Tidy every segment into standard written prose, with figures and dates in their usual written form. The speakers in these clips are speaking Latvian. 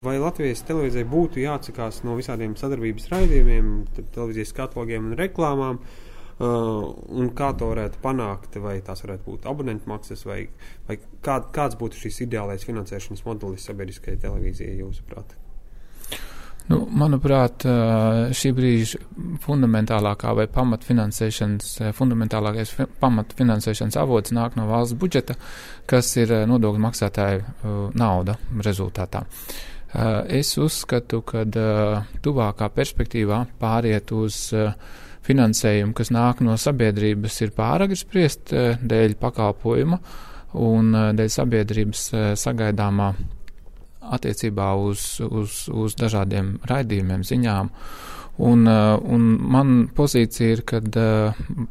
Vai Latvijas televīzijai būtu jāatsakās no visādiem sadarbības raidījumiem, televīzijas katalogiem un reklāmām, un kā to varētu panākt, vai tās varētu būt abonentu maksas, vai kāds būtu šis ideālais finansēšanas modelis sabiedriskajai televīzijai, jūsuprāt? Manuprāt, šī brīža fundamentālākais pamatfinansēšanas avots nāk no valsts budžeta, kas ir nodokļu maksātāju nauda rezultātā. Es uzskatu, ka tuvākā perspektīvā pāriet uz finansējumu, kas nāk no sabiedrības, ir pāragri spriest dēļ pakalpojuma un dēļ sabiedrības sagaidāmā attiecībā uz dažādiem raidījumiem, ziņām. Un man pozīcija ir, kad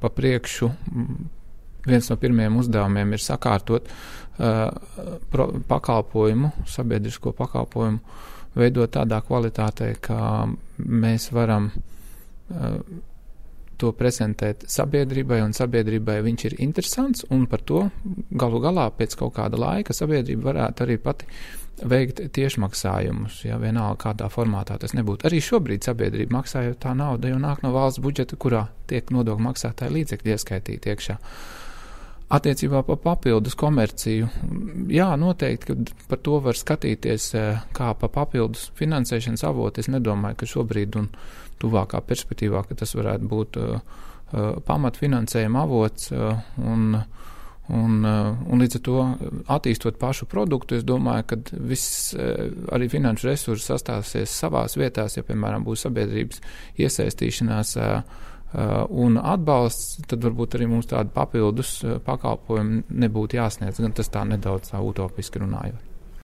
pa priekšu viens no pirmajiem uzdevumiem ir sakārtot pakalpojumu, sabiedrisko pakalpojumu, veidot tādā kvalitātē, ka mēs varam to prezentēt sabiedrībai, un sabiedrībai viņš ir interesants, un par to galu galā pēc kaut kāda laika sabiedrība varētu arī pati veikt tiešmaksājumus, ja vienalga kādā formātā tas nebūtu. Arī šobrīd sabiedrība maksā, jo tā nauda jau nāk no valsts budžeta, kurā tiek nodokļu maksātāji līdzekļi ieskaitīti iekšā. Attiecībā par papildus komerciju, jā, noteikti, ka par to var skatīties kā pa papildus finansēšanas avotu. Es nedomāju, ka šobrīd un tuvākā perspektīvā, ka tas varētu būt pamatfinansējuma avots un līdz ar to attīstot pašu produktu, es domāju, ka viss arī finanšu resursi sastāsies savās vietās, ja, piemēram, būs sabiedrības iesaistīšanās un atbalsts, tad varbūt arī mums tādi papildus pakalpojumi nebūtu jāsniedz, gan tas tā nedaudz utopiski runājot.